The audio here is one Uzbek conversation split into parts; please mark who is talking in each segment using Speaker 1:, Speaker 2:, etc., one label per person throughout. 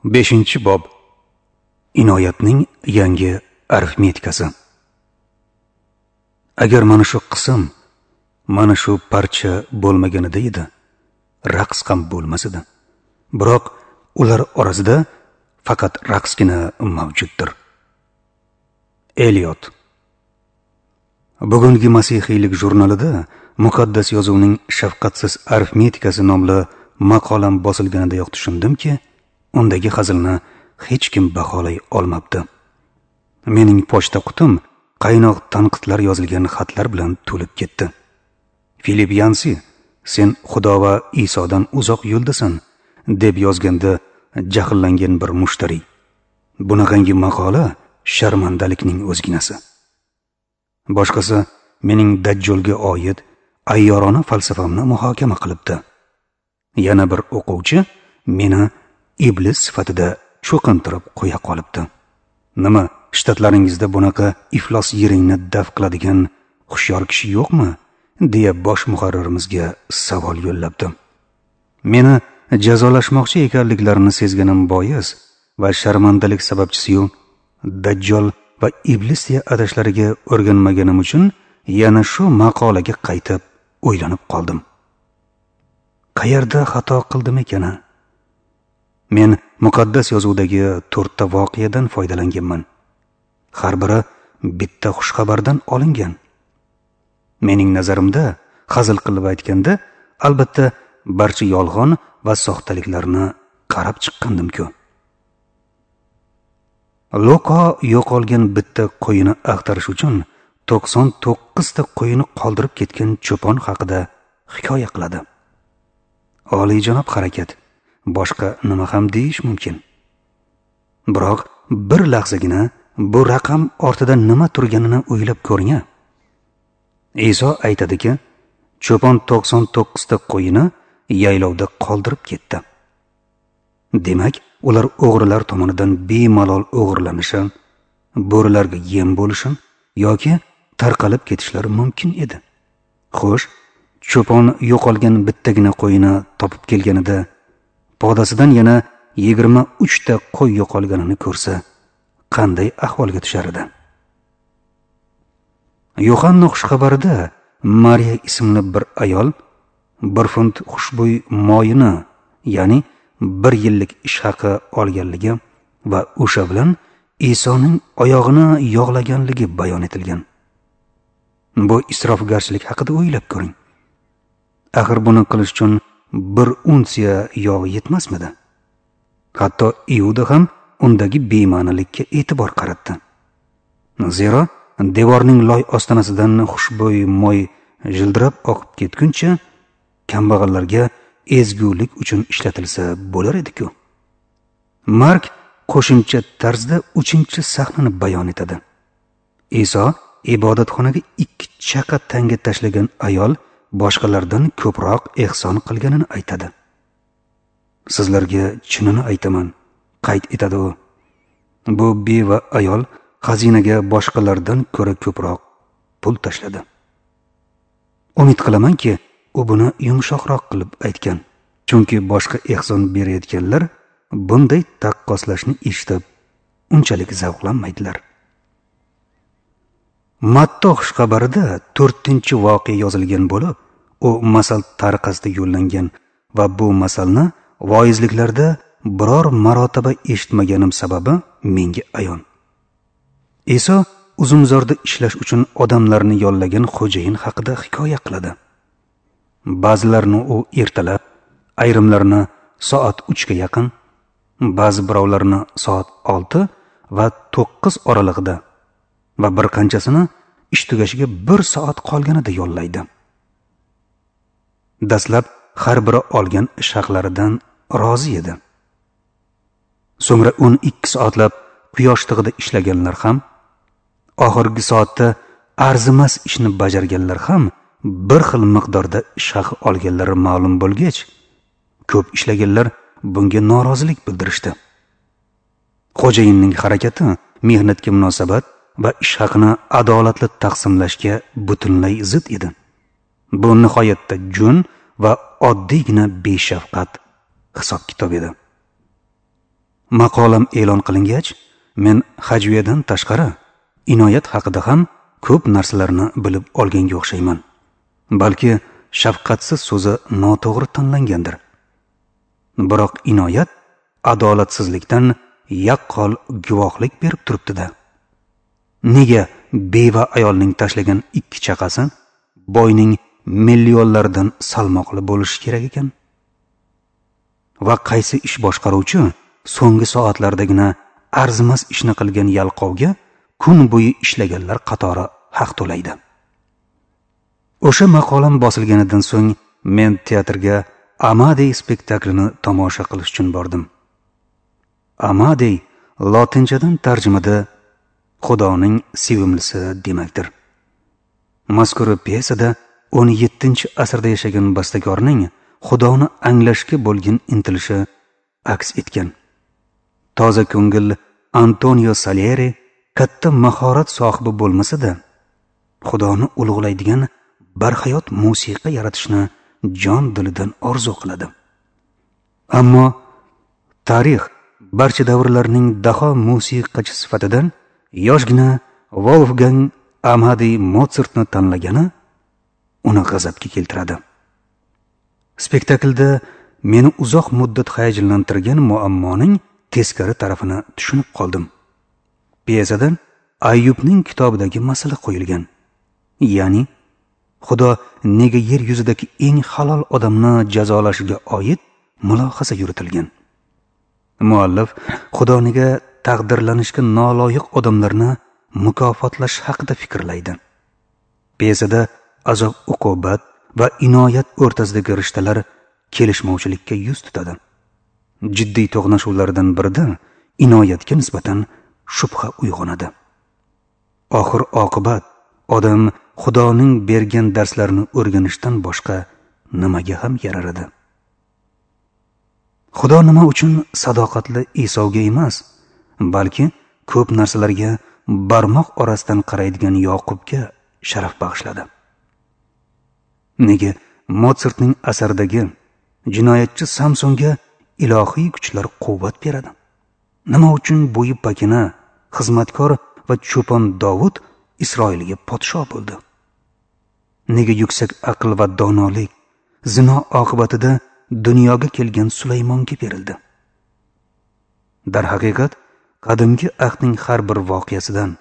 Speaker 1: 5-bob. Inoyatning yangi arifmetikasi. Agar mana shu qism, mana shu parcha bo'lmaganida edi, raqs ham bo'lmas edi. Biroq ular orasida faqat raqsgina mavjuddir. Eliot. Bugungi Masihiylik jurnalida Muqaddas yozuvning shafqatsiz arifmetikasi nomli maqolam bosilganidayoq tushundimki, undagi hazilni hech kim baholay olmabdi. Mening pochta qutim qaynoq tanqidlar yozilgan xatlar bilan to'lib ketdi. Filip Yansi, sen Xudo va Isodan uzoq yo'ldasan, deb yozganda jahllangan bir mushtariy. Bunaqangi maqola sharmandalikning o'zginasi. Boshqasi mening Dajjolga oid ayyorona falsafamni muhokama qilibdi. Yana bir o'quvchi meni iblis sifatida cho'qintirib qo'ya qolibdi. Nima, shtatlaringizda bunaqa iflos yeringni daf qiladigan hushyor kishi yo'qmi, deya bosh muharririmizga savol yo'llabdi. Meni jazolashmoqchi ekanliklarini sezganim bois va sharmandalik sababchisiyu Dajjol va iblis deya atashlariga o'rganmaganim uchun yana shu maqolaga qaytib o'ylanib qoldim. Qayerda xato qildim ekan? Men muqaddas yozuvdagi 4 ta voqeadan foydalanganman. Har biri bitta xushxabardan olingan. Mening nazarimda, hazil qilib aytganda, albatta barcha yolg'on va soxtaliklarni qarab chiqqandim-ku. Luqo yo'qolgan bitta qo'yini axtarish uchun 99 ta qo'yini qoldirib ketgan cho'pon haqida hikoya qiladi. Oliyjanob harakat, boshqa nima ham deyish mumkin. Biroq bir lahzagina bu raqam ortida nima turganini o'ylab ko'ring. Iso aytadiki, cho'pon 99 ta qo'yini yaylovda qoldirib ketdi. Demak, ular o'g'rilar tomonidan bemalol o'g'irlanishi, bo'rilarga yem bo'lishi yoki tarqalib ketishlari mumkin edi. Xo'sh, cho'pon yo'qolgan bittagina qo'yini topib kelganida podasidan yana 23 ta qo'y yo'qolganini ko'rsa, qanday ahvolga tushar edi? Yo'hanna xushxabarida Mariya ismli bir ayol 1 funt xushbo'y moyini, ya'ni 1 yillik ish haqi olganligi va o'sha bilan Isoning oyog'ini yog'laganligi bayon etilgan. Bu isrofgarchilik haqida o'ylab ko'ring. Axir buni qilish uchun 1 unsiya yog' yetmasmidi? Hatto Iuda ham undagi bema'nilikka e'tibor qaratdi. Zero devorning loy ostonasidan xushbo'y moy jildirab oqib ketguncha kambag'allarga ezgulik uchun ishlatilsa bo'lar edi-ku. Mark qo'shimcha tarzda 3-sahnani bayon etadi. Iso ibodatxonaga 2 chaqa tanga tashlagan ayol boshqalardan ko'proq ehson qilganini aytadi. Sizlarga chinini aytaman, qayd etadi u. Bu beva ayol xazinaga boshqalardan ko'ra ko'proq pul tashladi. Umid qilamanki, u buni yumshoqroq qilib aytgan, chunki boshqa ehson berayotganlar bunday taqqoslashni eshitib unchalik zavqlanmaydilar. Matto xushxabarida 4-voqea yozilgan bo'lib, u masal tariqasida yo'llangan va bu masalni voizliklarda biror marotaba eshitmaganim sababi menga ayon. Iso uzumzorda ishlash uchun odamlarni yollagan xo'jayin haqida hikoya qiladi. Ba'zilarini u ertalab, ayrimlarini soat 3 ga yaqin, ba'zi birovlarini soat 6 va 9 oralig'ida va bir qanchasini ish tugashiga 1 soat qolganida yollaydi. Dastlab har biri olgan ish haqlaridan rozi edi. So'ngra 12 soatlab quyosh tig'ida ishlaganlar ham, oxirgi soatda arzimas ishni bajarganlar ham bir xil miqdorda ish haqi olganlari ma'lum bo'lgach, ko'p ishlaganlar bunga norozilik bildirishdi. Xo'jayinning harakati mehnatga munosabat va ish haqini adolatli taqsimlashga butunlay zid edi. Bu nihoyatda jo'n va oddiygina beshafqat hisob-kitob edi. Maqolam e'lon qilingach, men hajviyadan tashqari inoyat haqida ham ko'p narsalarni bilib olganga o'xshayman. Balki shafqatsiz so'zi noto'g'ri tanlangandir. Biroq inoyat adolatsizlikdan yaqqol guvohlik berib turibdi-da. Nega beva ayolning tashlagan 2 chaqasi boyning millionlaridan salmoqli bo'lishi kerak ekan? Va qaysi ish boshqaruvchi so'nggi soatlardagina arzimas ishni qilgan yalqovga kun bo'yi ishlaganlar qatori haq to'laydi? O'sha maqolam bosilganidan so'ng men teatrga Amadey spektaklini tomosha qilish uchun bordim. Amadey lotinchadan tarjimada Xudoning sevimlisi demakdir. Mazkur pyesada 17-asrda yashagan bastakorning Xudoni anglashga bo'lgan intilishi aks etgan. Toza ko'ngil Antonio Salieri katta mahorat sohibi bo'lmasa-da, Xudoni ulug'laydigan barhayot musiqa yaratishni jon dilidan orzu qiladi. Ammo tarix barcha davrlarning daho musiqachi sifatidan yoshgina Wolfgang Amadey Motsartni tanlagani uni g'azabga keltiradi. Spektaklda meni uzoq muddat hayajonlantirgan muammoning teskari tarafini tushunib qoldim. Pyesadan Ayyubning kitobidagi masala qo'yilgan. Ya'ni Xudo nega yer yuzidagi eng halol odamni jazolashiga oid mulohaza yuritilgan. Muallif Xudo nega taqdirlanishga noloyiq odamlarni mukofotlash haqida fikrlaydi. Pyesada azob uqubat va inoyat o'rtasidagi rishtalar kelishmovchilikka yuz tutadi. Jiddiy to'qnashuvlardan birida inoyatga nisbatan shubha uyg'onadi. Oxir oqibat odam Xudoning bergan darslarini o'rganishdan boshqa nimaga ham yarar edi? Xudo nima uchun sadoqatli Isovga emas, balki ko'p narsalarga barmoq orasidan qaraydigan Yoqubga sharaf bag'ishladi? Nega Motsartning asaridagi jinoyatchi Samsonga ilohiy kuchlar quvvat beradi? Nima uchun bo'yi pakana, xizmatkor va cho'pon Dovud Isroilga podsho bo'ldi? Nega yuksak aql va donolik zino oqibatida dunyoga kelgan Sulaymonga berildi? Darhaqiqat, qadimgi ahdning har bir voqeasidan,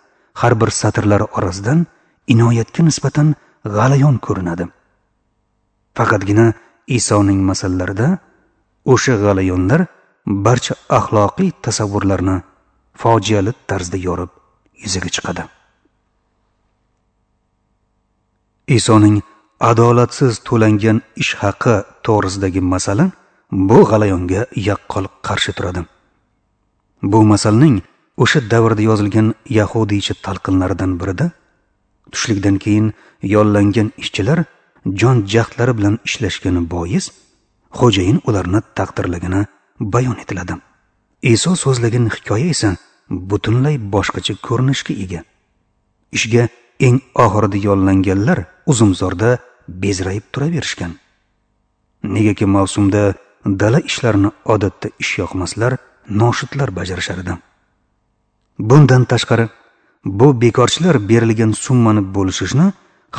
Speaker 1: har bir satrlari orasidan inoyatga nisbatan g'alayon ko'rinadi. Faqatgina Isoning masallarida o'sha g'alayonlar barcha axloqiy tasavvurlarni fojiali tarzda yorib yuzaga chiqadi. Isoning adolatsiz to'langan ish haqi to'g'risidagi masala bu g'alayonga yaqqol qarshi turadi. Bu masalning o'sha davrda yozilgan yahudiycha talqinlaridan birida tushlikdan keyin yollangan ishchilar jon jahdlari bilan ishlashgani bois xo'jayin ularni taqdirlagani bayon etiladi. Iso so'zlagan hikoya esa butunlay boshqacha ko'rinishga ega. Ishga eng oxirida yollanganlar uzumzorda bezrayib turaverishgan. Negaki mavsumda dala ishlarini odatda ishyoqmaslar, noshudlar bajarishar edi. Bundan tashqari, bu bekorchilar berilgan summani bo'lishishni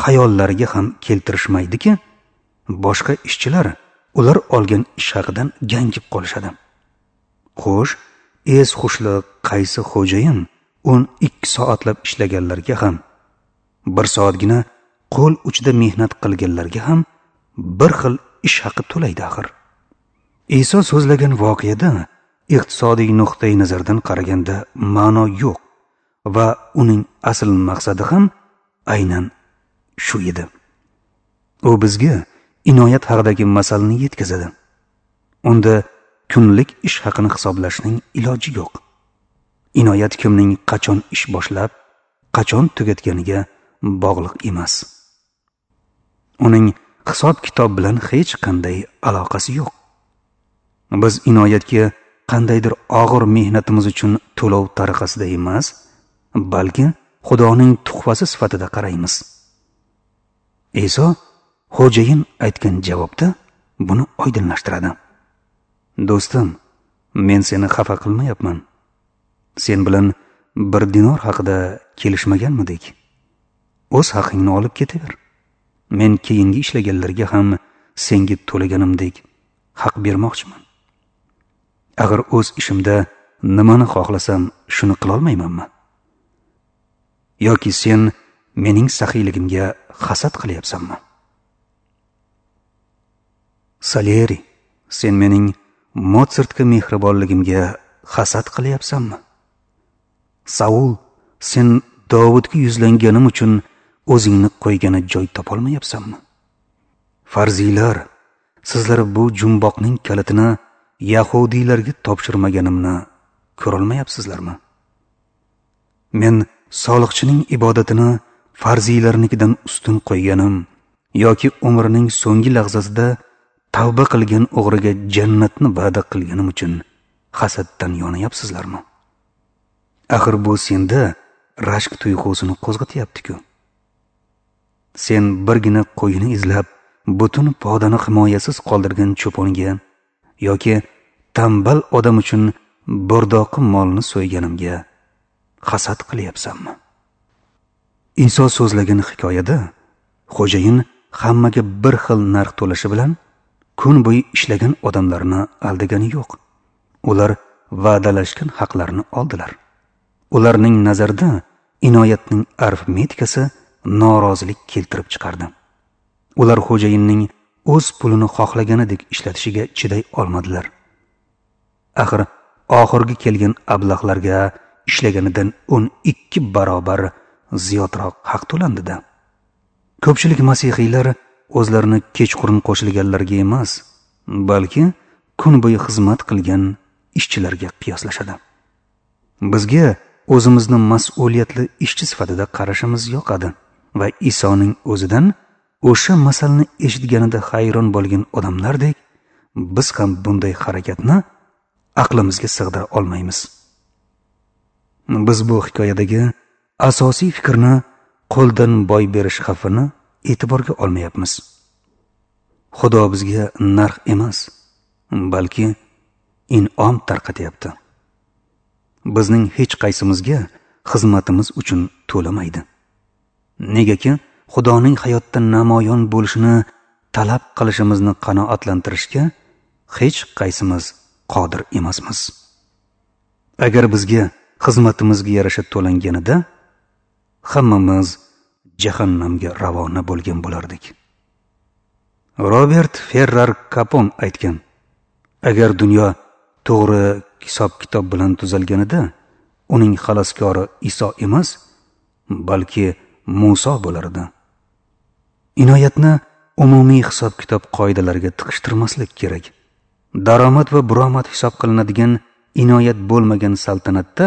Speaker 1: xayollariga ham keltirishmaydiki, boshqa ishchilar ular olgan ish haqidan gangib qolishadi. Xo'sh, es xushli qaysi xo'jayin 12 soatlab ishlaganlarga ham, 1 soatgina qo'l uchida mehnat qilganlarga ham bir xil ish haqi to'laydi axir. Iso so'zlagan voqeada iqtisodiy nuqtai nazardan qaraganda ma'no yo'q va uning asl maqsadi ham aynan shu edi. U bizga inoyat haqidagi masalni yetkazadi. Unda kunlik ish haqini hisoblashning iloji yo'q. Inoyat kimning qachon ish boshlab, qachon tugatganiga bog'liq emas. Uning hisob-kitob bilan hech qanday aloqasi yo'q. Biz inoyatga qandaydir og'ir mehnatimiz uchun to'lov tariqasida emas, balki Xudoning tuhfasi sifatida qaraymiz. Iso xo'jayin aytgan javobda buni oydinlashtiradi. Do'stim, Men seni xafa qilmayapman. Sen bilan 1 dinor haqida kelishmaganmidik? O'z haqingni olib ketaver. Men keyingi ishlaganlarga ham senga to'laganimdek haq bermoqchiman. Agar o'z ishimda nimani xohlasam shuni qilolmaymanmi? Yoki sen mening saxiyligimga hasad qilyapsanmi? Salieri, sen mening Motsartga mehribonligimga hasad qilyapsanmi? Saul, sen Dovudga yuzlanganim uchun o'zingni qo'ygani joy topolmayapsanmi? Farziylar, sizlar bu jumboqning kalitini yahudiylarga topshirmaganimni ko'rolmayapsizlarmi? Men soliqchining ibodatini farziylarnikidan ustun qo'yganim yoki umrining so'nggi lahzasida tavba qilgan o'g'riga jannatni va'da qilganim uchun hasaddan yonayapsizlarmi? Axir bu senda rashk tuyg'usini qo'zg'atyapti-ku. Sen birgina qo'yini izlab butun podani himoyasiz qoldirgan cho'ponga yoki tambal odam uchun bo'rdoqi molni so'yganimga hasad qilyapsanmi? Iso so'zlagan hikoyada xo'jayin hammaga bir xil narx to'lashi bilan kun bo'yi ishlagan odamlarni aldagani yo'q. Ular va'dalashgan haqlarini oldilar. Ularning nazarida inoyatning arifmetikasi norozilik keltirib chiqardi. Ular xo'jayinning o'z pulini xohlaganidek ishlatishiga chiday olmadilar. Axir oxirgi kelgan ablahlarga ishlaganidan 12 barobar ziyodroq haq to'landida. Ko'pchilik masihiylar o'zlarini kechqurun qo'shilganlarga emas, balki kun bo'yi xizmat qilgan ishchilarga qiyoslashadi. Bizga o'zimizni mas'uliyatli ishchi sifatida qarashimiz yoqadi va Isoning o'zidan o'sha masalni eshitganida hayron bo'lgan odamlardek biz ham bunday harakatni aqlimizga sig'dira olmaymiz. Biz bu hikoyadagi asosiy fikrni qo'ldan boy berish xavfini e'tiborga olmayapmiz. Xudo bizga narx emas, balki in'om tarqatyapti. Bizning hech qaysimizga xizmatimiz uchun to'lamaydi. Negaki Xudoning hayotda namoyon bo'lishini talab qilishimizni qanoatlantirishga hech qaysimiz qodir emasmiz. Agar bizga xizmatimizga yarasha to'langanida hammamiz jahannamga ravona bo'lgan bo'lardik. Robert Ferrar Kapon aytgan: agar dunyo to'g'ri hisob-kitob bilan tuzalganida uning xaloskori Iso emas, balki Muso bo'lardi. Inoyatni umumiy hisob-kitob qoidalariga tiqishtirmaslik kerak. Daromad va buromad hisob qilinadigan inoyat bo'lmagan saltanatda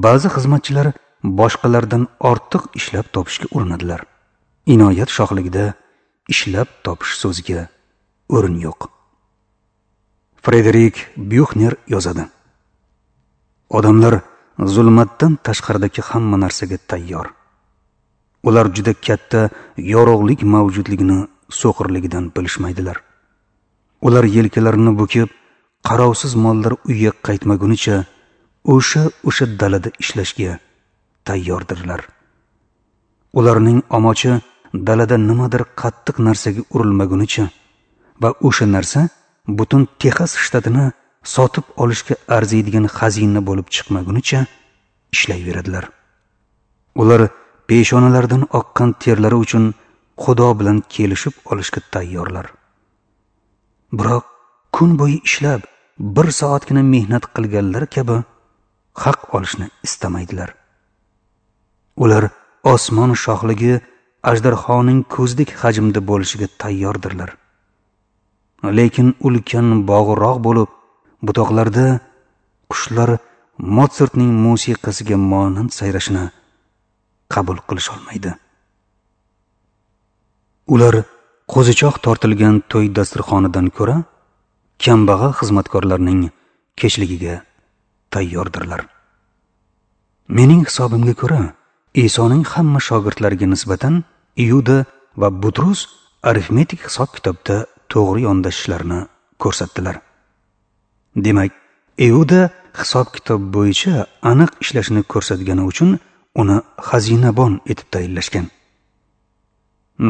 Speaker 1: ba'zi xizmatchilar boshqalardan ortiq ishlab topishga urinadilar. Inoyat shohligida ishlab topish so'ziga o'rin yo'q. Frederik Buxner yozadi: odamlar zulmatdan tashqaridagi hamma narsaga tayyor. Ular juda katta yorug'lik mavjudligini so'qirligidan bilishmaydilar. Ular yelkalarini bukib, qarovsiz mollar uyga qaytmagunicha o'sha dalada ishlashga tayyordirlar. Ularning omochi dalada nimadir qattiq narsaga urilmagunicha va o'sha narsa butun Texas shtatini sotib olishga arziydigan xazina bo'lib chiqmagunicha ishlayveradilar. Ular peshonalaridan oqqan terlari uchun Xudo bilan kelishib olishga tayyorlar. Biroq kun bo'yi ishlab, bir soatgina mehnat qilganlar kabi haq olishni istamaydilar. Ular osmon shohligi ajdarhoning ko'zdek hajmda bo'lishiga tayyordirlar. Lekin ulkan bog'roq bo'lib, butoqlarda qushlar Motsartning musiqasiga monand sayrashini qabul qilisholmaydi. Ular qo'zichoq tortilgan to'y dasturxonidan ko'ra kambag'al xizmatkorlarning kechligiga tayyordirlar. Mening hisobimga ko'ra, Isoning hamma shogirdlariga nisbatan Iuda va Butrus arifmetik hisob-kitobda to'g'ri yondashishlarini ko'rsatdilar. Demak, Iuda hisob-kitob bo'yicha aniq ishlashini ko'rsatgani uchun uni xazinabon etib tayinlashgan.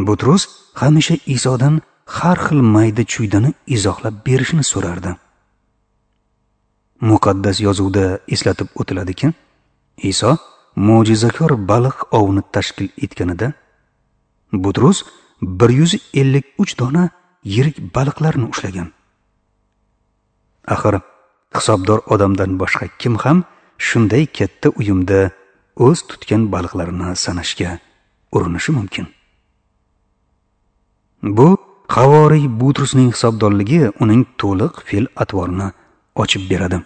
Speaker 1: Butrus hamisha Isodan har xil mayda chuydani izohlab berishini so'rardi. Muqaddas yozuvda eslatib o'tiladiki, Iso mo'jizakor baliq ovini tashkil etganida Butrus 153 dona yirik baliqlarni ushlagan. Axir hisobdor odamdan boshqa kim ham shunday katta uyumda o'z tutgan baliqlarini sanashga urinishi mumkin? Bu havoriy Butrusning hisobdorligi uning to'liq fe'l-atvorini ochib beradi.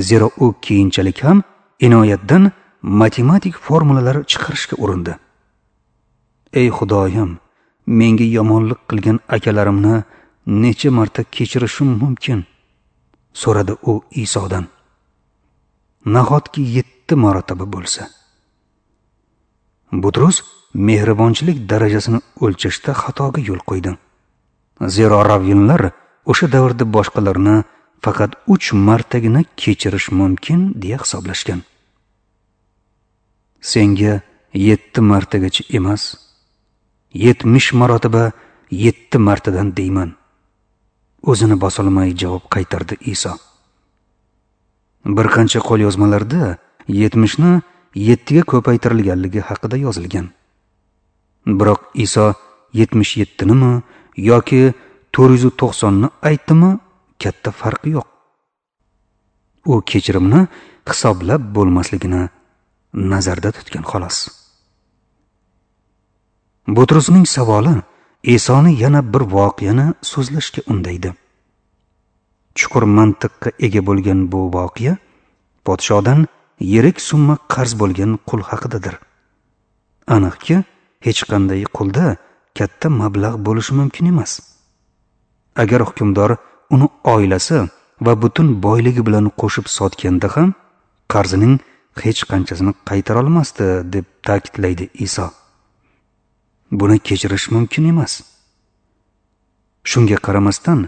Speaker 1: Zero u keyinchalik ham inoyatdan matematik formulalar chiqarishga urindi. Ey Xudoyim, menga yomonlik qilgan akalarimni necha marta kechirishim mumkin? So'radi u Isodan. Nahotki 7 marotaba bo'lsa? Butrus mehribonchilik darajasini o'lchashda xatoga yo'l qo'ydi. Zero ravvinlar o'sha davrda boshqalarni faqat 3 martagina kechirish mumkin deya hisoblashgan. Senga 7 martagacha emas, 70 marotaba 7 martadan deyman. O'zini bosolmay javob qaytardi Iso. Bir qancha qo'lyozmalarda 70 ni 7 ga ko'paytirilganligi haqida yozilgan. Biroq Iso 77 nimi yoki 490 ni aytdimi, katta farqi yo'q. U kechirimni hisoblab bo'lmasligini nazarda tutgan xolos. Butrusning savoli Isoni yana bir voqeani so'zlashga undaydi. Chuqur mantiqqa ega bo'lgan bu voqea podshodan yirik summa qarz bo'lgan qul haqidadir. Aniqki, hech qanday qulda katta mablag' bo'lishi mumkin emas. Agar hukmdor uni oilasi va butun boyligi bilan qo'shib sotganda ham qarzining hech qanchasini qaytara olmasdi, deb ta'kidlaydi Iso. Buni kechirish mumkin emas. Shunga qaramasdan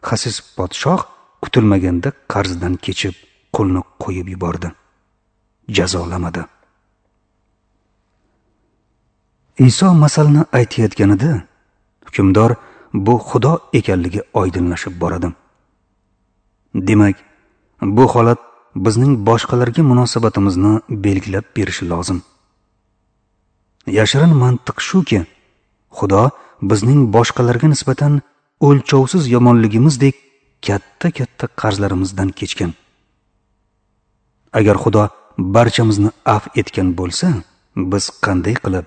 Speaker 1: xasis podshoh kutilmaganda qarzdan kechib qulni qo'yib yubordi. Jazolamadi. Iso masalni aytayotganida hukmdor bu Xudo ekanligi oydinlashib boradi. Demak, bu holat bizning boshqalarga munosabatimizni belgilab berishi lozim. Yashirin mantiq shuki, Xudo bizning boshqalarga nisbatan o'lchovsiz yomonligimizdek katta-katta qarzlarimizdan kechgan. Agar Xudo barchamizni afv etgan bo'lsa, biz qanday qilib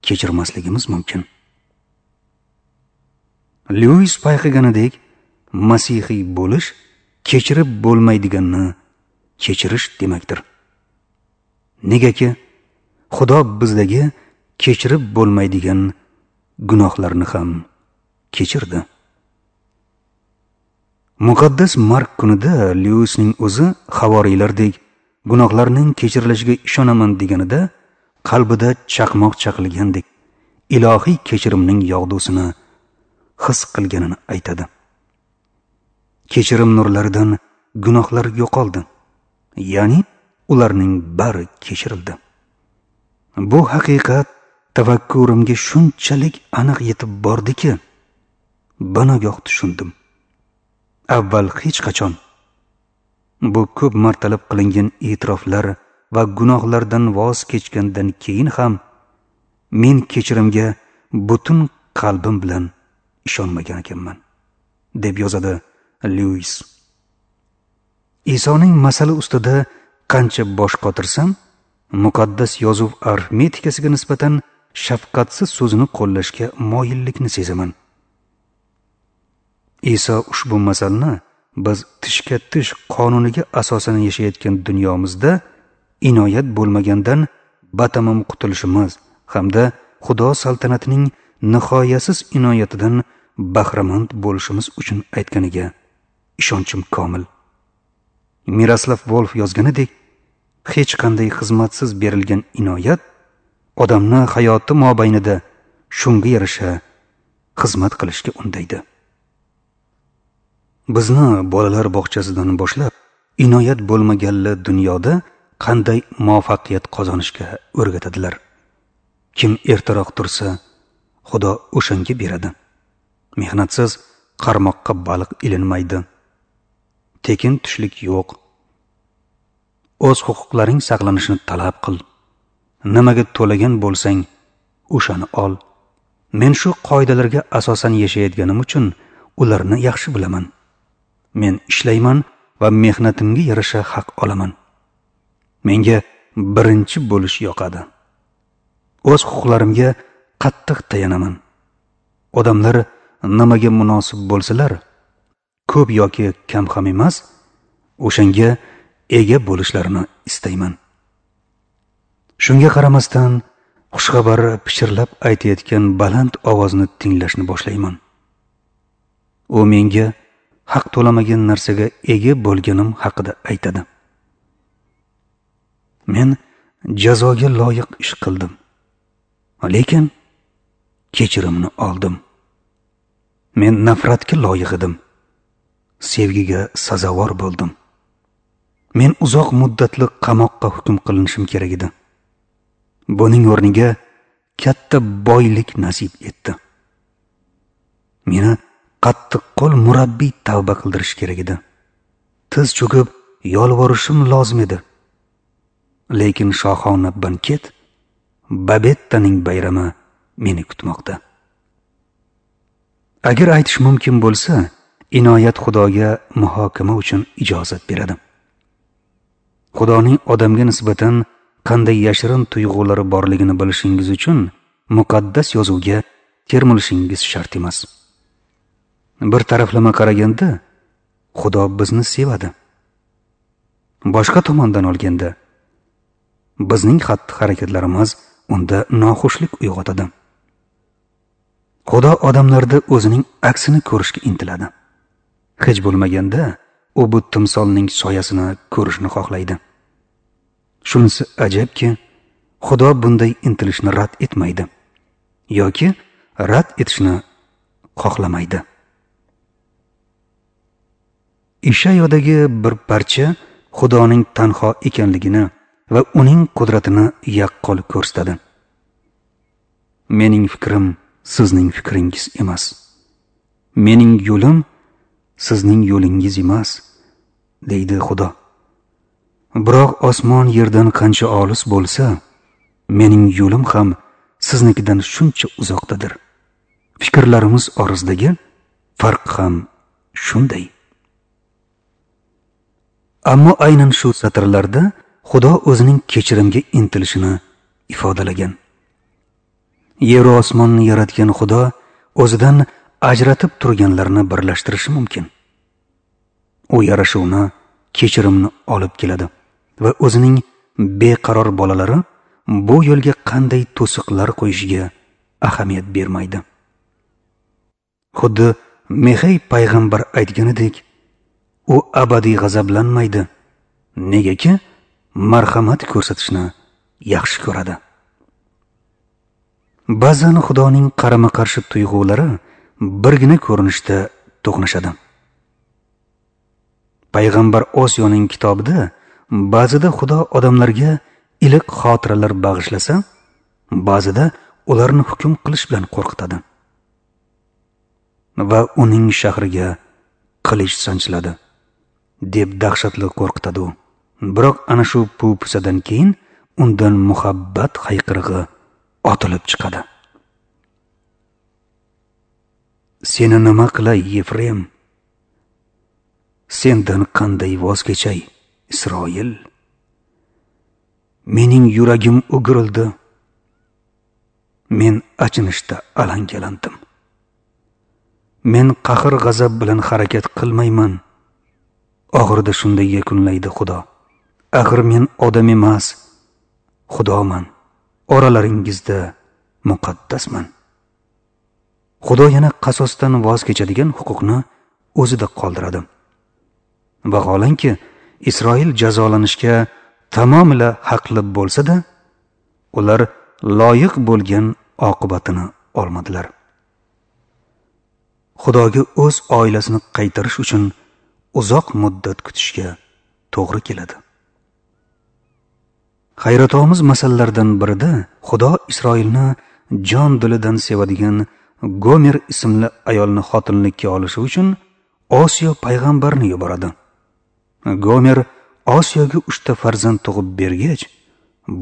Speaker 1: kechirmasligimiz mumkin? Lewis payqaganidek, masihiy bo'lish kechirib bo'lmaydiganni kechirish demakdir. Negaki Xudo bizdagi kechirib bo'lmaydigan gunohlarni ham kechirdi. Muqaddas Mark kunida Lewisning o'zi havoriylardek gunohlarning kechirilishiga ishonaman deganida qalbida chaqmoq chaqilgandek ilohiy kechirimning yog'dusini his qilganini aytadi. Kechirim nurlaridan gunohlar yo'qoldi, ya'ni ularning bari kechirildi. Bu haqiqat tafakkurimga shunchalik aniq yetib bordiki, binogoh tushundim. Avval hech qachon bu ko'p martalab qilingan e'tiroflar va gunohlardan voz kechgandan keyin ham men kechirimga butun qalbim bilan ishonmagan ekanman, deb yozadi Lewis. Isoning masala ustida qancha bosh qotirsam, muqaddas yozuv arifmetikasiga nisbatan shafqatsiz so'zini qo'llashga moyillikni sezaman. Iso ushbu masalni biz tishga tish qonuniga asosan yashayotgan dunyomizda inoyat bo'lmagandan batamom qutulishimiz hamda Xudo saltanatining nihoyasiz inoyatidan bahramand bo'lishimiz uchun aytganiga ishonchim komil. Miroslav Volf yozganidek, hech qanday xizmatsiz berilgan inoyat odamni hayoti mobaynida shunga yarasha xizmat qilishga undaydi. Bizni bolalar bog'chasidan boshlab inoyat bo'lmaganli dunyoda qanday muvaffaqiyat qozonishga o'rgatadilar. Kim ertaroq tursa, Xudo o'shanga beradi. Mehnatsiz qarmoqqa baliq ilinmaydi. Tekin tushlik yo'q. O'z huquqlaring saqlanishini talab qil. Nimaga to'lagan bo'lsang, o'shani ol. Men shu qoidalarga asosan yashayotganim uchun ularni yaxshi bilaman. Men ishlayman va mehnatimga yarasha haq olaman. Menga birinchi bo'lish yoqadi. O'z huquqlarimga qattiq tayanaman. Odamlar nimaga munosib bo'lsalar, ko'p yoki kam ham emas, o'shanga ega bo'lishlarini istayman. Shunga qaramasdan, xushxabar pichirlab aytayotgan baland ovozni tinglashni boshlayman. U menga haq to'lamagan narsaga ega bo'lganim haqida aytadi. Men jazoga loyiq ish qildim, lekin kechirimni oldim. Men nafratga loyiq edim, sevgiga sazovor bo'ldim. Men uzoq muddatli qamoqqa hukm qilinishim kerak edi. Buning o'rniga katta boylik nasib etdi. Meni qattiqqo'l murabbiy tavba qildirish kerak edi. Tiz cho'kib yolvorishim lozim edi. Lekin shohona banket, Babettaning bayrami meni kutmoqda. Agar aytish mumkin bo'lsa, inoyat Xudoga muhokama uchun ijozat beradi. Xudoning odamga nisbatan qanday yashirin tuyg'ulari borligini bilishingiz uchun muqaddas yozuvga termilishingiz shart emas. Bir taraflama qaraganda, Xudo bizni sevadi. Boshqa tomondan olganda, bizning xatti-harakatlarimiz unda noxushlik uyg'otadi. Xudo odamlarda o'zining aksini ko'rishga intiladi. Hech bo'lmaganda, u bu timsolning soyasini ko'rishni xohlaydi. Shunisi ajabki, Xudo bunday intilishni rad etmaydi yoki rad etishni xohlamaydi. Ishayodagi bir parcha Xudoning tanho ekanligini va uning qudratini yaqqol ko'rsatadi. Mening fikrim sizning fikringiz emas. Mening yo'lim sizning yo'lingiz emas, deydi Xudo. Biroq osmon yerdan qancha olis bo'lsa, mening yo'lim ham siznikidan shuncha uzoqdadir. Fikrlarimiz orasidagi farq ham shunday. Ammo aynan shu satrlarda Xudo o'zining kechirimga intilishini ifodalagan. Yer va osmonni yaratgan Xudo o'zidan ajratib turganlarni birlashtirishi mumkin. U yarashuvni, kechirimni olib keladi va o'zining beqaror bolalari bu yo'lga qanday to'siqlar qo'yishiga ahamiyat bermaydi. Xuddi Mexey payg'ambar aytganidek, u abadiy g'azablanmaydi, negaki marhamat ko'rsatishni yaxshi ko'radi. Ba'zan Xudoning qarama-qarshi tuyg'ulari birgina ko'rinishda to'qnashadi. Payg'ambar Osiyoning kitobida ba'zida Xudo odamlarga iliq xotiralar bag'ishlasa, ba'zida ularni hukm qilish bilan qo'rqitadi va uning shahriga qilich sanchiladi deb dahshatli qo'rqitadi u. Biroq ana shu pupusadan keyin undan muhabbat hayqirig'i otilib chiqadi. Seni nima qilay, Yefrem? Sendan qanday voz kechay, Isroil? Mening yuragim o'girildi. Men achinishda alangalandim. Men qahr-g'azab bilan harakat qilmayman. Oxirida shunday yakunlaydi Xudo. Axir men odam emas, Xudoman. Oralaringizda muqaddasman. Xudo yana qasosdan voz kechadigan huquqni o'zida qoldiradi. Vaholanki, Isroil jazolanishga tamomila haqli bo'lsa-da, ular loyiq bo'lgan oqibatini olmadilar. Xudoga o'z oilasini qaytarish uchun uzoq muddat kutishga to'g'ri keladi. Hayratomuz masalalardan birida Xudo Isroilni jon dilidan sevadigan Gomer ismli ayolni xotinlikka olishi uchun Osiyo payg'ambarni yuboradi. Gomer Osiyoga 3 ta farzand tug'ib bergach,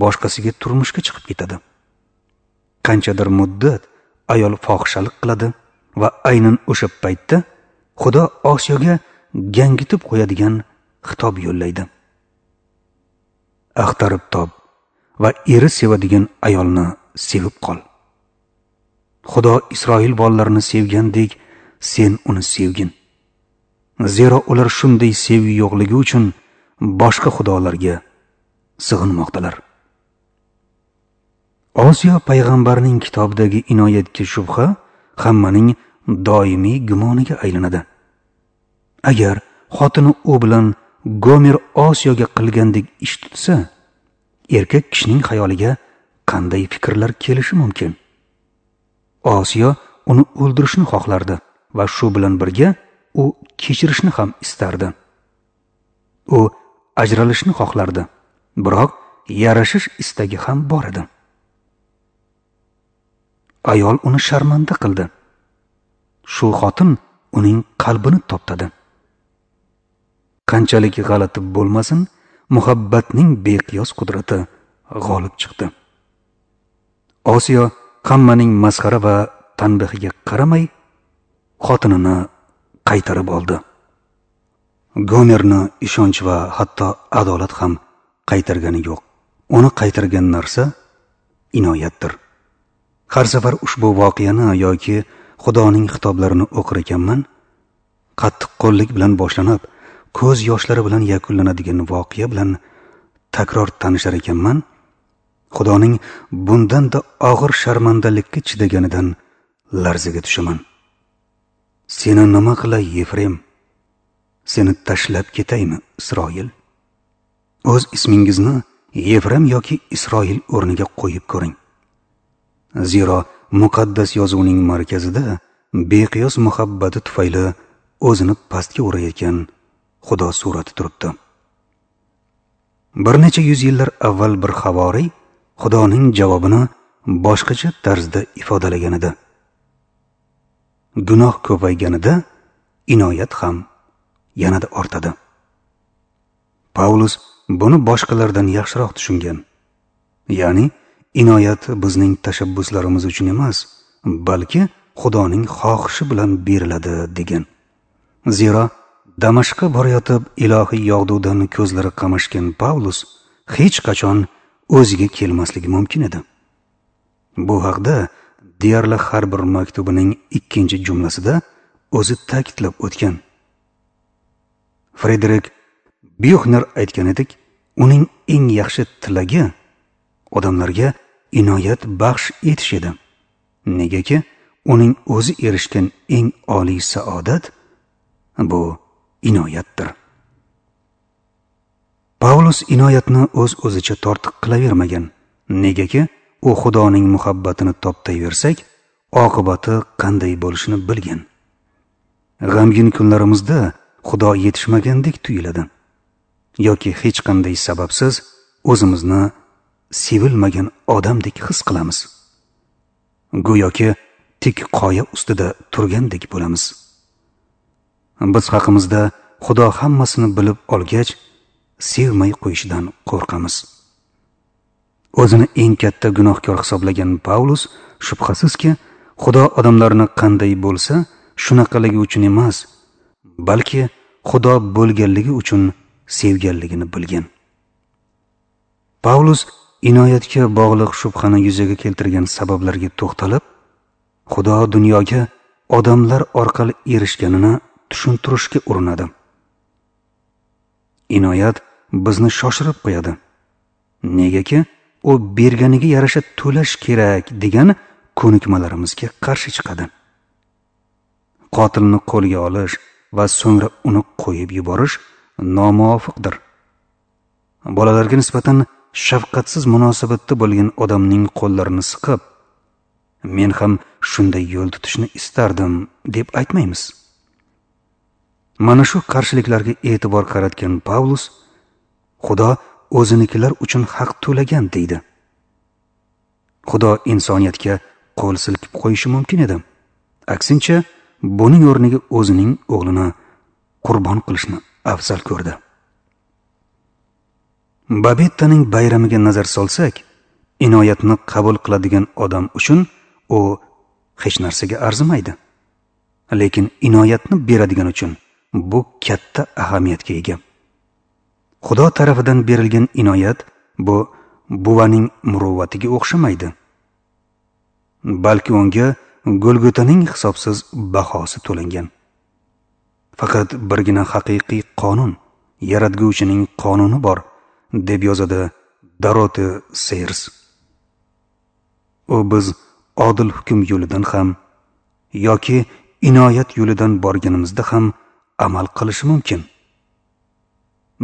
Speaker 1: boshqasiga turmushga chiqib ketadi. Qanchadir muddat ayol fohishalik qiladi va aynan o'sha paytda Xudo Osiyoga gangitib qo'yadigan xitob yo'llaydi. Axtarib top va eri sevadigan ayolni sevib qol. Xudo Isroil bolalarini sevgandek sen uni sevgin. Zero ular shunday sevgi yo'qligi uchun boshqa xudolarga sig'inmoqdalar. Osiyo payg'ambarning kitobidagi inoyatga shubha hammaning doimiy gumoniga aylanadi. Agar xotini u bilan Gomer Osiyoga qilgandek ish tutsa, erkak kishining xayoliga qanday fikrlar kelishi mumkin? Osiyo uni o'ldirishni xohlardi va shu bilan birga u kechirishni ham istardi. U ajralishni xohlardi, biroq yarashish istagi ham bor edi. Ayol uni sharmanda qildi. Shu xotin uning qalbini toptadi. Qanchalik g'alati bo'lmasin, muhabbatning beqiyos qudrati g'olib chiqdi. Osiyo hammaning masxara va tanbihiga qaramay xotinini qaytarib oldi. Gomerni ishonch va hatto adolat ham qaytargani yo'q. Uni qaytargan narsa inoyatdir. Har safar ushbu voqeani yoki Xudoning xitoblarini o'qir ekanman, qattiqqo'llik bilan boshlanib, ko'z yoshlari bilan yakunlanadigan voqea bilan takror tanishar ekanman, Xudoning bundan-da og'ir sharmandalikka chidaganidan larzaga tushaman. Seni nima qilay, Yefrem? Seni tashlab ketaymi, Isroil? O'z ismingizni Yefrem yoki Isroil o'rniga qo'yib ko'ring. Zero muqaddas yozuvning markazida beqiyos muhabbati tufayli o'zini pastga urayotgan Xudo surati turibdi. Bir necha yuz yillar avval bir havoriy Xudoning javobini boshqacha tarzda ifodalagan edi. Gunoh ko'payganida inoyat ham yanada ortadi. Pavlus buni boshqalardan yaxshiroq tushungan. Ya'ni inoyat bizning tashabbuslarimiz uchun emas, balki Xudoning xohishi bilan beriladi degan. Zero Damashqqa borayotib ilohiy yog'dudan ko'zlari qamashgan Pavlus hech qachon o'ziga kelmasligi mumkin edi. Bu haqda deyarli har bir maktubining ikkinchi jumlasida o'zi ta'kidlab o'tgan. Frederik Byuxner aytgan edik, uning eng yaxshi tilagi odamlarga inoyat baxsh etish edi. Negaki uning o'zi erishgan eng oliy saodat bu inoyatdir. Pavlus inoyatni o'z-o'zicha tortiq qilavermagan. Negaki u Xudoning muhabbatini toptayversak, oqibati qanday bo'lishini bilgan. G'amgin kunlarimizda Xudo yetishmagandek tuyuladi yoki hech qanday sababsiz o'zimizni sevilmagan odamdek his qilamiz. Go'yoki tik qoya ustida turgandek bo'lamiz. Biz haqimizda Xudo hammasini bilib olgach, sevmay qo'yishidan qo'rqamiz. O'zini eng katta gunohkor hisoblagan Pavlus shubhasizki, Xudo odamlarni qanday bo'lsa, shunaqaligi uchun emas, balki Xudo bo'lganligi uchun sevganligini bilgan. Pavlus inoyatga bog'liq shubhani yuzaga keltirgan sabablarga to'xtalib, Xudo dunyoga odamlar orqali erishganini tushuntirishga urinadi. Inoyat bizni shoshirib qo'yadi. Negaki u berganiga yarasha to'lash kerak degan ko'nikmalarimizga qarshi chiqadi. Qotilni qo'lga olish va so'ngra uni qo'yib yuborish nomuvofiqdir. Bolalarga nisbatan shafqatsiz munosabatda bo'lgan odamning qo'llarini siqib, men ham shunday yo'l tutishni istardim deb aytmaymiz. Mana shu qarshiliklarga e'tibor qaratgan Pavlus Xudo o'zinikilar uchun haq to'lagan deydi. Xudo insoniyatga qo'l silkib qo'yishi mumkin edi. Aksincha, buning o'rniga o'zining o'g'lini qurbon qilishni afzal ko'rdi. Babettaning bayramiga nazar solsak, inoyatni qabul qiladigan odam uchun u hech narsaga arzimaydi. Lekin inoyatni beradigan uchun bu katta ahamiyatga ega. Xudo tarafidan berilgan inoyat bu buvaning muruvvatiga o'xshamaydi. Balki unga Golgotaning hisobsiz bahosi to'langan. Faqat birgina haqiqiy qonun, yaratguvchining qonuni bor, deb yozadi Doroti Seyrs. U biz odil hukm yo'lidan ham yoki inoyat yo'lidan borganimizda ham amal qilishi mumkin.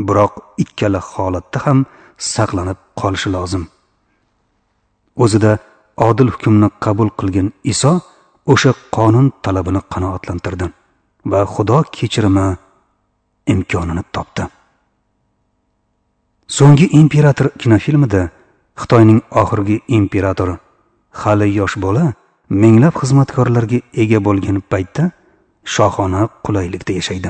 Speaker 1: Biroq ikkala holatda ham saqlanib qolishi lozim. O'zida odil hukmni qabul qilgan Iso o'sha qonun talabini qanoatlantirdi va Xudo kechirimi imkonini topdi. So'nggi imperator kinofilmida Xitoyning oxirgi imperatori hali yosh bola minglab xizmatkorlarga ega bo'lgan paytda shohona qulaylikda yashaydi.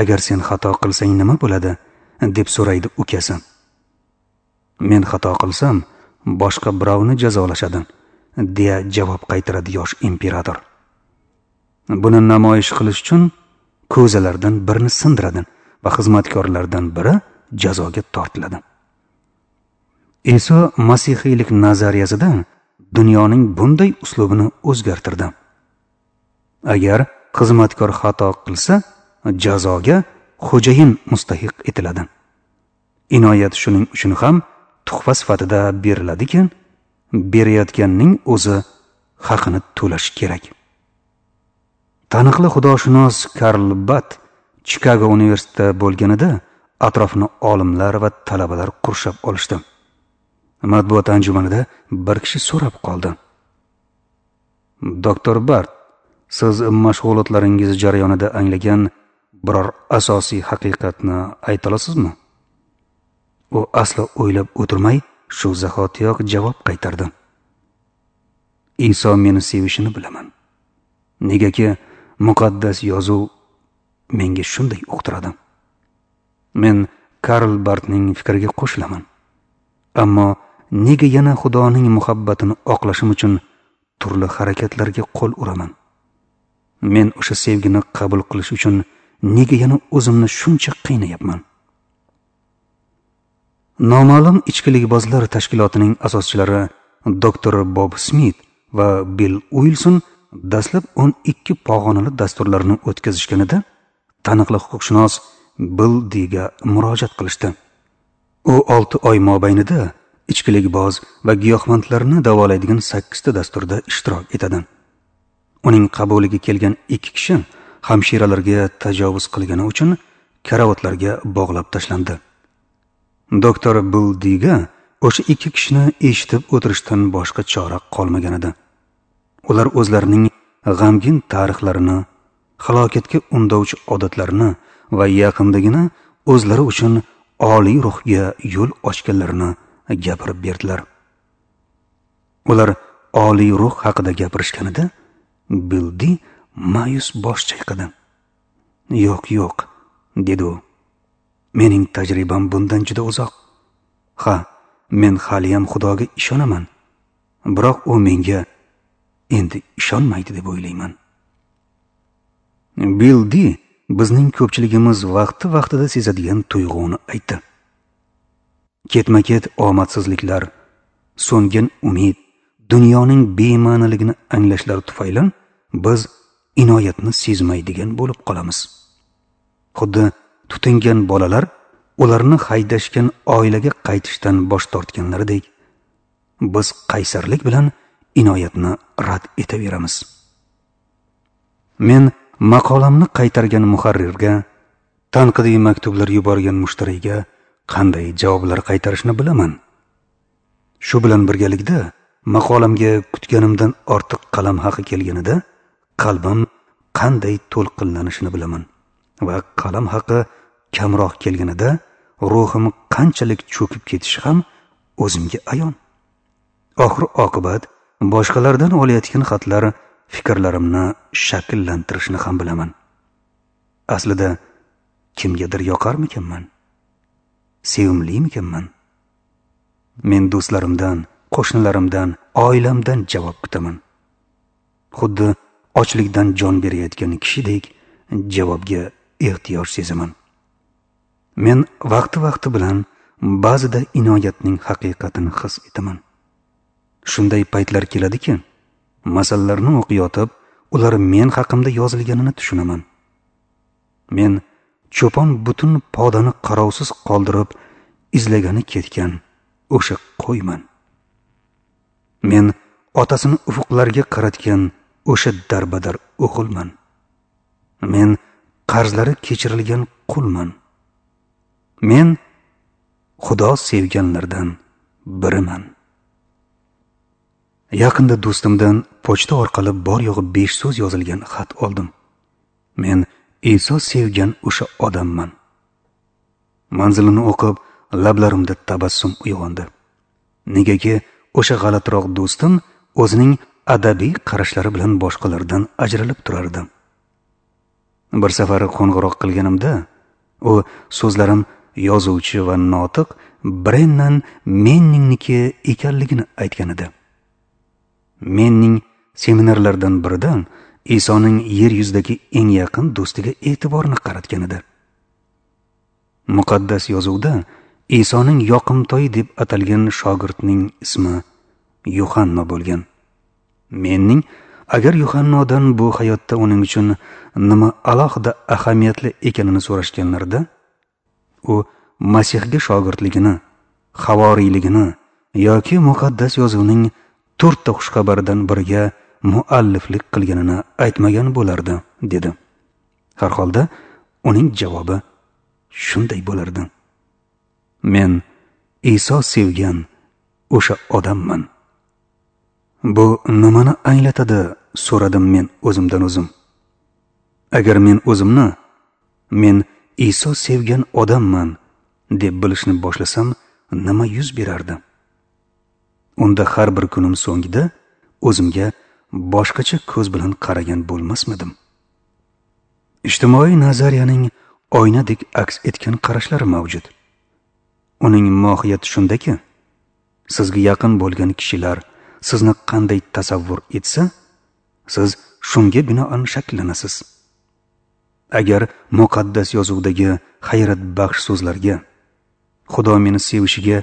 Speaker 1: Agar sen xato qilsang nima bo'ladi? Deb so'raydi ukasi. Men xato qilsam, boshqa birovni jazolashadi, deya javob qaytaradi yosh imperator. Buni namoyish qilish uchun ko'zalardan birini sindiradi va xizmatkorlardan biri jazoga tortiladi. Iso masihiylik nazariyasida dunyoning bunday uslubini o'zgartirdi. Agar xizmatkor xato qilsa, jazoga xo'jayin mustahiq etiladi. Inoyat shuning uchun ham tuhfa sifatida beriladiki, berayotganning o'zi haqini to'lashi kerak. Taniqli xudoshunos Karl Bat Chikago universitetida bo'lganida atrofini olimlar va talabalar qurshab olishdi. Matbuot anjumanida bir kishi so'rab qoldi. Doktor Bart, siz mashg'ulotlaringiz jarayonida anglagan biror asosiy haqiqatni ayta olasizmi? U aslo o'ylab o'tirmay shu zahotiyoq javob qaytardi. Iso meni sevishini bilaman. Negaki muqaddas yozuv menga shunday uqtiradi. Men Karl Bartning fikriga qo'shilaman. Ammo nega yana Xudoning muhabbatini oqlashim uchun turli harakatlarga qo'l uraman? Men o'sha sevgini qabul qilish uchun nega yana o'zimni shuncha qiynayapman? Noma'lum ichkilikbozlar tashkilotining asoschilari Dr. Bob Smit va Bill Uilson dastlab 12 pog'onali dasturlarni o'tkazishganida taniqli huquqshunos Bill Diga murojaat qilishdi. U 6 oy mobaynida ichkilikboz va giyohvandlarni davolaydigan 8 ta dasturda ishtirok etadi. Uning qabuliga kelgan 2 kishi hamshiralarga tajovuz qilgani uchun karavotlarga bog'lab tashlandi. Doktor Bill Diga o'sha 2 kishini eshitib o'tirishdan boshqa chora qolmagan edi. Ular o'zlarining g'amgin tarixlarini, halokatga undovchi odatlarini va yaqindagina o'zlari uchun oliy ruhga yo'l ochganlarini gapirib berdilar. Ular oliy ruh haqida gapirishganida Bildi ma'yus bosh chayqadi. "Yo'q, yo'q", dedi u. "Mening tajribam bundan juda uzoq. Ha, men haliyam Xudoga ishonaman. Biroq u menga endi ishonmaydi deb o'ylayman." Bildi bizning ko'pchiligimiz vaqti-vaqtida sezadigan tuyg'uni aytdi. Ketma-ket omadsizliklar, so'ngan umid, dunyoning bema'niligini anglashlar tufayli biz inoyatni sezmaydigan bo'lib qolamiz. Xuddi tutingan bolalar ularni haydashgan oilaga qaytishdan bosh tortganlaridek, biz qaysarlik bilan inoyatni rad etaveramiz. Men maqolamni qaytargan muharrirga, tanqidiy maktublar yuborgan mushtariyga qanday javoblar qaytarishni bilaman. Shu bilan birgalikda maqolamga kutganimdan ortiq qalam haqi kelganida qalbim qanday to'lqinlanishini bilaman va qalam haqi kamroq kelganida ruhim qanchalik cho'kib ketishi ham o'zimga ayon. Oxir oqibat boshqalardan olayotgan xatlar fikrlarimni shakllantirishini ham bilaman. Aslida kimgadir yoqarmikanman? Sevimlimikanman? Men do'stlarimdan, qo'shnilarimdan, oilamdan javob kutaman. Xuddi ochlikdan jon berayotgan kishidek javobga ehtiyoj sezaman. Men vaqti-vaqti bilan ba'zida inoyatning haqiqatini his etaman. Shunday paytlar keladiki, masallarni o'qiyotib, ular men haqimda yozilganini tushunaman. Men cho'pon butun podani qarovsiz qoldirib izlagani ketgan o'sha qo'yman. Men otasini ufuqlarga qaratgan o'sha darbadar o'g'ilman. Men qarzlari kechirilgan qulman. Men Xudo sevganlardan biriman. Yaqinda do'stimdan pochta orqali bor yo'g'i 5 so'z yozilgan xat oldim. Men Iso sevgan o'sha odamman. Manzilini o'qib, lablarimda tabassum uyg'ondi. Negaki o'sha g'alatiroq do'stim o'zining adabiy qarashlari bilan boshqalardan ajralib turardi. Bir safar qo'ng'iroq qilganimda, u so'zlarim yozuvchi va notiq Brennan Menningniki ekanligini aytgan edi. Menning seminarlardan biridan Isoning yer yuzidagi eng yaqin do'stiga e'tiborni qaratgan edi. Muqaddas yozuvda Isoning yoqimtoyi deb atalgan shogirdning ismi Yuhanno bo'lgan. Menning agar Yuhannodan bu hayotda uning uchun nima alohida ahamiyatli ekanini so'rashganlarida, u Masihga shogirdligini, havoriyligini yoki muqaddas yozuvning 4 ta xushxabardan biriga mualliflik qilganini aytmagan bo'lardi, dedi. Har holda uning javobi shunday bo'lardi: Men Iso sevgan o'sha odamman. Bu nimani anglatadi, so'radim men o'zimdan o'zim. Agar men o'zimni men Iso sevgan odamman deb bilishni boshlasam, nima yuz berardi? Unda har bir kunim so'ngida o'zimga boshqacha ko'z bilan qaragan bo'lmasmidim? Ijtimoiy nazariyaning oynadek aks etgan qarashlari mavjud. Uning mohiyati shundaki, sizga yaqin bo'lgan kishilar sizni qanday tasavvur etsa, siz shunga binoan shakllanasiz. Agar muqaddas yozuvdagi hayratbaxsh so'zlarga, Xudo meni sevishiga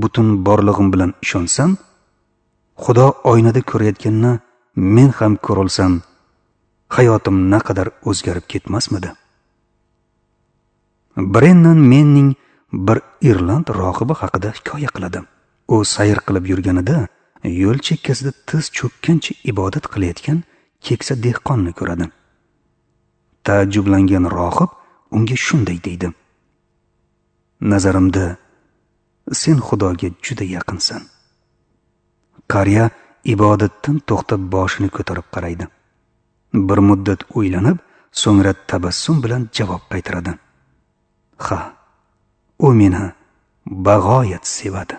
Speaker 1: butun borlig'im bilan ishonsam, Xudo oynada ko'rayotganini men ham ko'rolsam, hayotim naqadar o'zgarib ketmasmidi? Brennan Menning bir irland rohibi haqida hikoya qiladi. U sayr qilib yurganida yo'l chekkasida tiz cho'kkancha ibodat qilayotgan keksa dehqonni ko'radi. Taajjublangan rohib unga shunday deydi: Nazarimda sen Xudoga juda yaqinsan. Qariya ibodatdan to'xtab boshini ko'tarib qaraydi. Bir muddat o'ylanib, so'ngra tabassum bilan javob qaytaradi: Ha, u meni bag'oyat sevadi.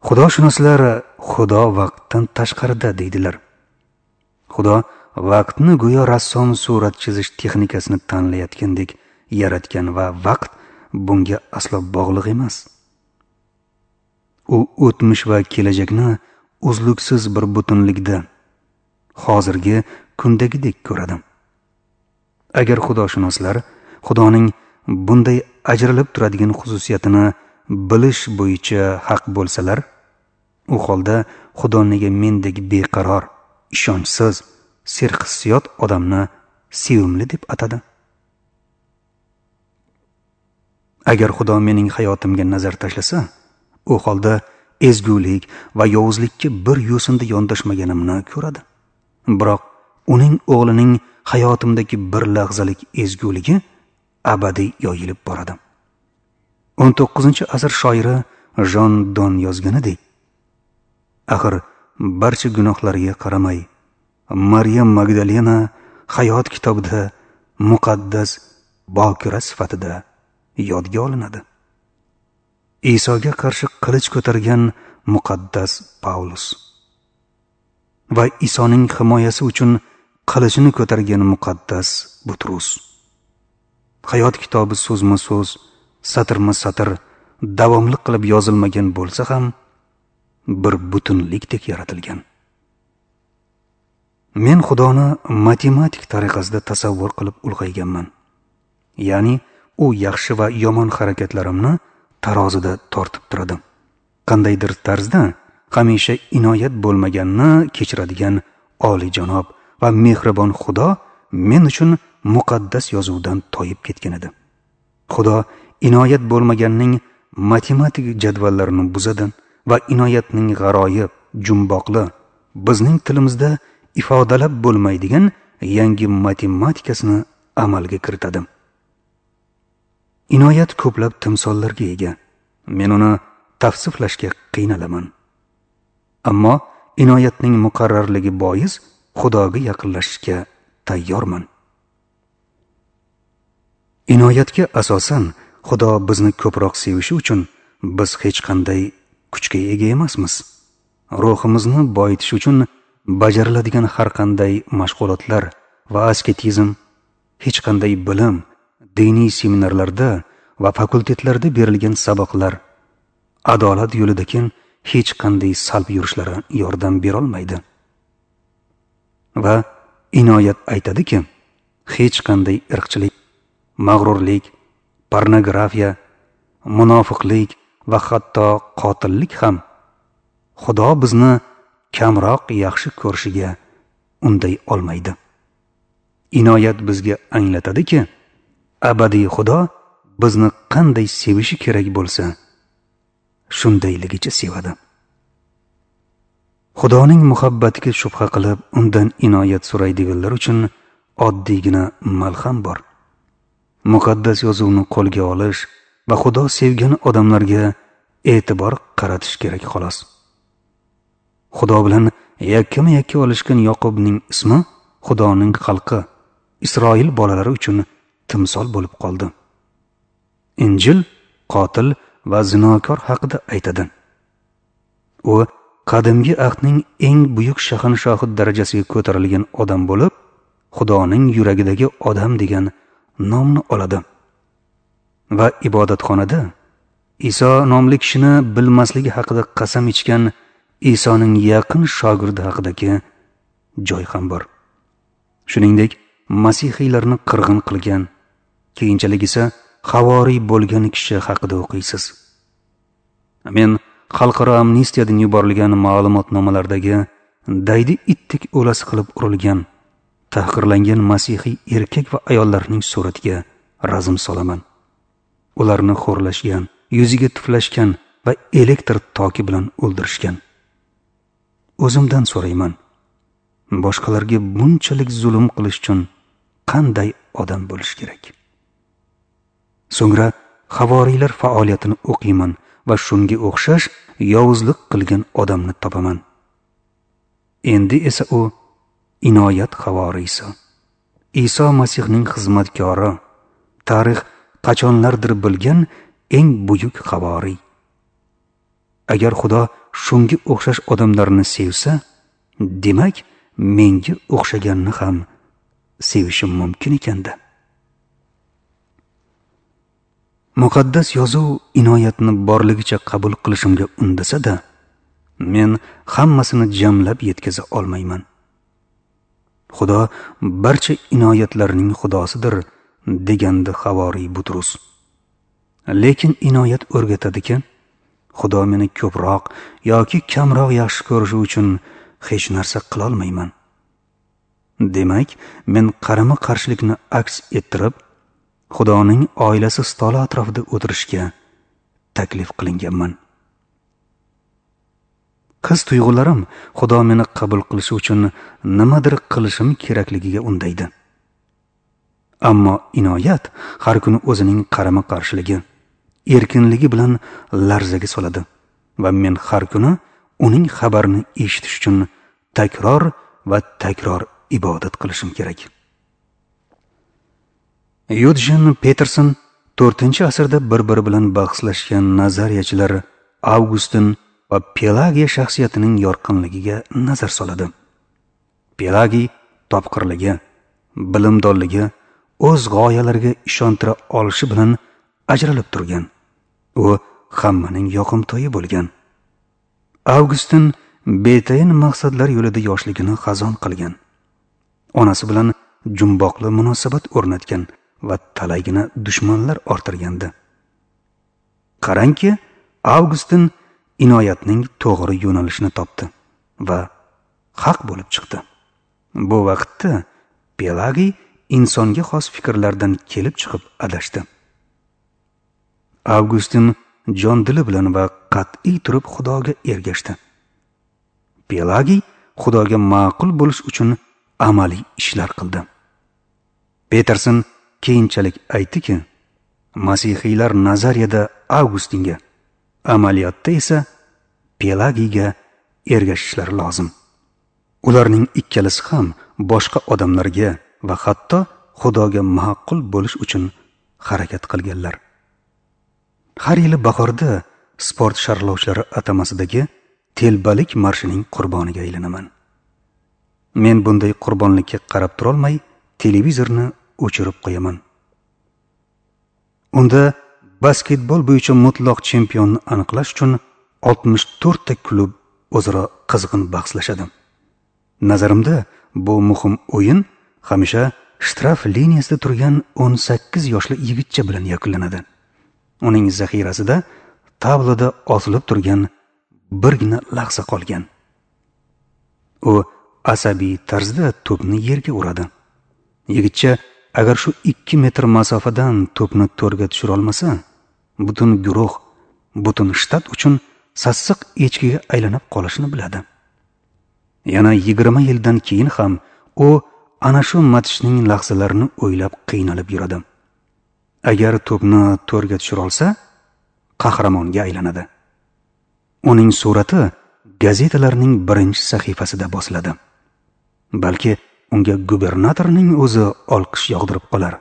Speaker 1: Xudoshunoslar Xudo vaqtdan tashqarida deydilar. Xudo vaqtni go'yo rassom surat chizish texnikasini tanlayotgandek yaratgan va vaqt bunga aslo bog'liq emas. U o'tmish va kelajakni uzluksiz bir butunlikda, hozirgi kundagidek ko'radi. Agar xudoshunoslar Xudoning bunday ajralib turadigan xususiyatini bilish bo'yicha haq bo'lsalar, u holda Xudo nega mendek beqaror, ishonchsiz, serhissiyot odamni sevimli deb atadi? Agar Xudo mening hayotimga nazar tashlasa, u holda ezgulik va yovuzlikka bir yo'sinda yondashmaganimni ko'radi. Biroq uning o'g'lining hayotimdagi bir lahzalik ezguligi abadiy yoyilib boradi. 19-asr shoiri Jon Don yozganidek, axir barcha gunohlariga qaramay, Maryam Magdalena hayot kitobida muqaddas bokira sifatida yodga olinadi. Isoga qarshi qilich ko'targan muqaddas Pavlus va Isoning himoyasi uchun qilichini ko'targan muqaddas Butrus. Hayot kitobi so'zma-so'z, satrma-satr davomli qilib yozilmagan bo'lsa ham, bir butunlikdek yaratilgan. Men Xudoni matematik tariqasida tasavvur qilib ulg'ayganman. Ya'ni u yaxshi va yomon harakatlarimni tarozida tortib turadi. Qandaydir tarzda hamisha inoyat bo'lmaganni kechiradigan oliyjanob va mehribon Xudo men uchun muqaddas yozuvdan toyib ketgan edi. Xudo inoyat bo'lmaganning matematik jadvallarini buzadi va inoyatning g'aroyib, jumboqli, bizning tilimizda ifodalab bo'lmaydigan yangi matematikasini amalga kiritadi. Inoyat ko'plab timsollarga ega. Men uni tavsiflashga qiynalaman. Ammo inoyatning muqarrarligi bois Xudoga yaqinlashishga tayyorman. Inoyatga asosan Xudo bizni ko'proq sevishi uchun biz hech qanday kuchga ega emasmiz. Ruhimizni boyitish uchun bajariladigan har qanday mashg'ulotlar va asketizm, hech qanday bilim, diniy seminarlarda va fakultetlarda berilgan saboqlar adolat yo'lidagi hech qanday salb yurishlari yordam bera olmaydi. Va inoyat aytadiki, hech qanday irqchilik, mag'rurlik, pornografiya, munofiqlik va hatto qotillik ham Xudo bizni kamroq yaxshi ko'rishiga unday olmaydi. Inoyat bizga anglatadiki, abadiy Xudo bizni qanday sevishi kerak bo'lsa, shundayligicha sevadi. Xudoning muhabbatiga shubha qilib, undan inoyat so'raydiganlar uchun oddiygina malham bor. Muqaddas yozuvni qo'lga olish va Xudo sevgan odamlarga e'tibor qaratish kerak xolos. Xudo bilan yakkama-yakka olishgan Yoqubning ismi Xudoning xalqi Isroil bolalari uchun timsol bo'lib qoldi. Injil qotil va zinokor haqida aytadi. U qadimgi ahdning eng buyuk shahanshohi darajasiga ko'tarilgan odam bo'lib, Xudoning yuragidagi odam degan nomni oladi. Va ibodatxonada Iso nomli kishini bilmasligi haqida qasam ichgan Isoning yaqin shogirdi haqidagi joy ham bor. Shuningdek, masihiylarni qirg'in qilgan, keyinchalik esa havoriy bo'lgan kishi haqida o'qiysiz. Men xalqaro amnistiyadan yuborilgan ma'lumotnomalardagi daydi itdek o'lasi qilib urilgan, tahqirlangan masihiy erkak va ayollarning suratiga razm solaman. Ularni xo'rlashgan, yuziga tuflashgan va elektr toki bilan o'ldirishgan. O'zimdan so'rayman, boshqalarga bunchalik zulm qilish uchun qanday odam bo'lish kerak? So'ngra havoriylar faoliyatini o'qiyman va shunga o'xshash yovuzlik qilgan odamni topaman. Endi esa u inoyat havoriysi, Iso Masihning xizmatkori, tarix qachonlardir bilgan eng buyuk havoriy. Agar Xudo shunga o'xshash odamlarni sevsa, demak, menga o'xshaganni ham sevishim mumkin ekanda. Muqaddas yozuv inoyatni borligicha qabul qilishimga undasa-da, men hammasini jamlab yetkaza olmayman. Xudo barcha inoyatlarning xudosidir, degandi havoriy Butrus. Lekin inoyat o'rgatadiki, Xudo meni ko'proq yoki kamroq yaxshi ko'rishi uchun hech narsa qila olmayman. Demak, men qarama-qarshilikni aks ettirib, Xudoning oilasi stoli atrofida o'tirishga taklif qilinganman. His tuyg'ularim Xudo meni qabul qilishi uchun nimadir qilishim kerakligiga undaydi. Ammo inoyat har kuni o'zining qarama-qarshiligi, erkinligi bilan larzaga soladi va men har kuni uning xabarini eshitish uchun takror va takror ibodat qilishim kerak. Yudjin Peterson 4-asrda bir-biri bilan bahslashgan nazariyachilar Avgustin va Pelagiya shaxsiyatining yorqinligiga nazar soladi. Pelagiy topqirligi, bilimdonligi, o'z g'oyalariga ishontira olishi bilan ajralib turgan. U hammaning yoqimtoyi bo'lgan. Avgustin betayin maqsadlar yo'lida yoshligini xazon qilgan. Onasi bilan jumboqli munosabat o'rnatgan va talaygina dushmanlar orttirgandi. Qarangki, Avgustin inoyatning to'g'ri yo'nalishini topdi va haq bo'lib chiqdi. Bu vaqtda Pelagiy insonga xos fikrlardan kelib chiqib adashdi. Avgustin jon dili bilan va qat'iy turib Xudoga ergashdi. Pelagiy Xudoga ma'qul bo'lish uchun amaliy ishlar qildi. Peterson keyinchalik aytdiki, masihiylar nazariyada Avgustinga, amaliyotda esa Pelagiyga ergashishlari lozim. Ularning ikkalasi ham boshqa odamlarga va hatto Xudoga ma'qul bo'lish uchun harakat qilganlar. Har yili bahorda sport sharlovchilari atamasidagi telbalik marshining qurboniga aylanaman. Men bunday qurbonlikka qarab turolmay, televizorni o'chirib qo'yaman. Unda basketbol bo'yicha mutlaq chempionni aniqlash uchun 64 ta klub o'zaro qizg'in bahslashadi. Nazarimda bu muhim o'yin hamisha shtraf liniyasida turgan 18 yoshli yigitcha bilan yakunlanadi. Uning zaxirasida tabloda osilib turgan birgina lahza qolgan. U asabiy tarzda to'pni yerga uradi. Yigitcha agar shu 2 metr masofadan to'pni to'rga tushira olmasa, butun guruh, butun shtat uchun sassiq echkiga aylanib qolishini biladi. Yana 20 yildan keyin ham u ana shu matchning lahzalarini o'ylab qiynalib yuradi. Agar to'pni to'rga tushira olsa, qahramonga aylanadi. Uning surati gazetalarning birinchi sahifasida bosiladi. Balki unga gubernatorning o'zi olqish yog'dirib qolar.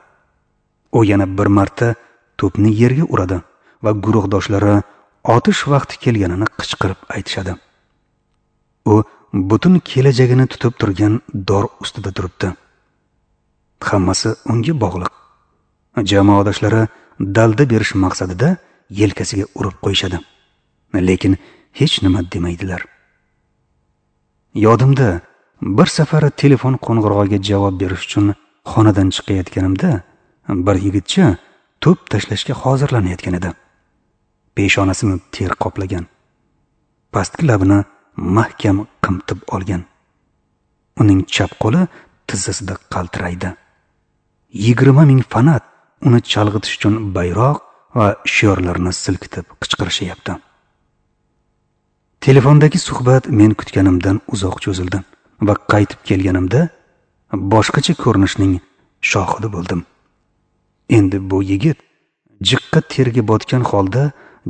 Speaker 1: U yana bir marta to'pni yerga uradi va guruhdoshlari otish vaqti kelganini qichqirib aytishadi. U butun kelajagini tutib turgan dor ustida turibdi. Hammasi unga bog'liq. Jamoadoshlari dalda berish maqsadida yelkasiga urib qo'yishadi. Lekin hech nima demaydilar. Yodimda, bir safar telefon qo'ng'irog'iga javob berish uchun xonadan chiqayotganimda bir yigitcha to'p tashlashga hozirlanayotgan edi. Peshonasini ter qoplagan. Pastki labini mahkam qimtib olgan. Uning chap qo'li tizzasida qaltiraydi. 20 ming fanat uni chalg'itish uchun bayroq va shiorlarni silkitib qichqirishyapti. Telefondagi suhbat men kutganimdan uzoq cho'zildi va qaytib kelganimda boshqacha ko'rinishning shohidi bo'ldim. Endi bu yigit jiqqa terga botgan holda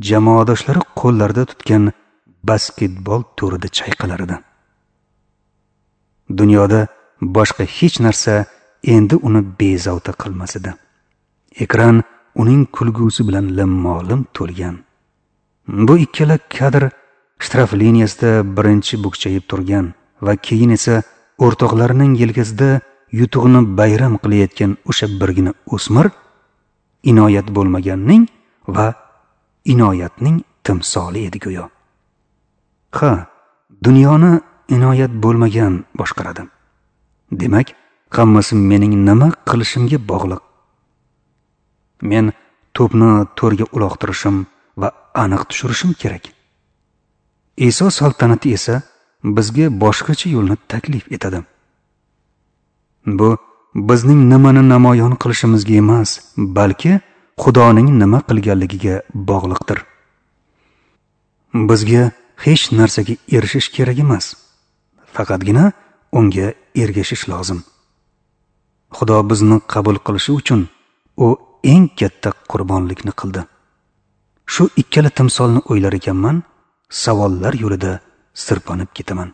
Speaker 1: jamoadoshlari qo'llarida tutgan basketbol to'rida chayqalar edi. Dunyoda boshqa hech narsa endi uni bezovta qilmas edi. Ekran uning kulgusi bilan limmo-lim to'lgan. Bu ikkala kadr shtraf liniyasida birinchi bukchayib turgan va keyin esa o'rtoqlarining yelkasida yutug'ini bayram qilayotgan o'sha birgina o'smir inoyat bo'lmaganning va inoyatning timsoli edi go'yo. Ha, dunyoni inoyat bo'lmagan boshqaradi. Demak, hammasi mening nima qilishimga bog'liq. Men to'pni to'rga uloqtirishim va aniq tushirishim kerak. Iso saltanati esa bizga boshqacha yo'lni taklif etadi. Bu bizning nimani namoyon qilishimizga emas, balki Xudoning nima qilganligiga bog'liqdir. Bizga hech narsaga erishish kerak emas, faqatgina unga ergashish lozim. Xudo bizni qabul qilishi uchun u eng katta qurbonlikni qildi. Shu ikkala timsolni o'ylar ekanman, savollar yo'lida sirpanib ketaman.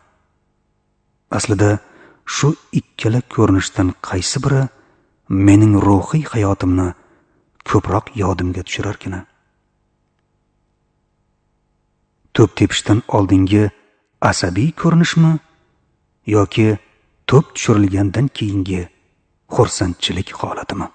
Speaker 1: Aslida shu ikkala ko'rinishdan qaysi biri mening ruhiy hayotimni ko'proq yodimga tushirarkina. To'p tepishdan oldingi asabiy ko'rinishmi yoki to'p tushirilgandan keyingi xursandchilik holatimi?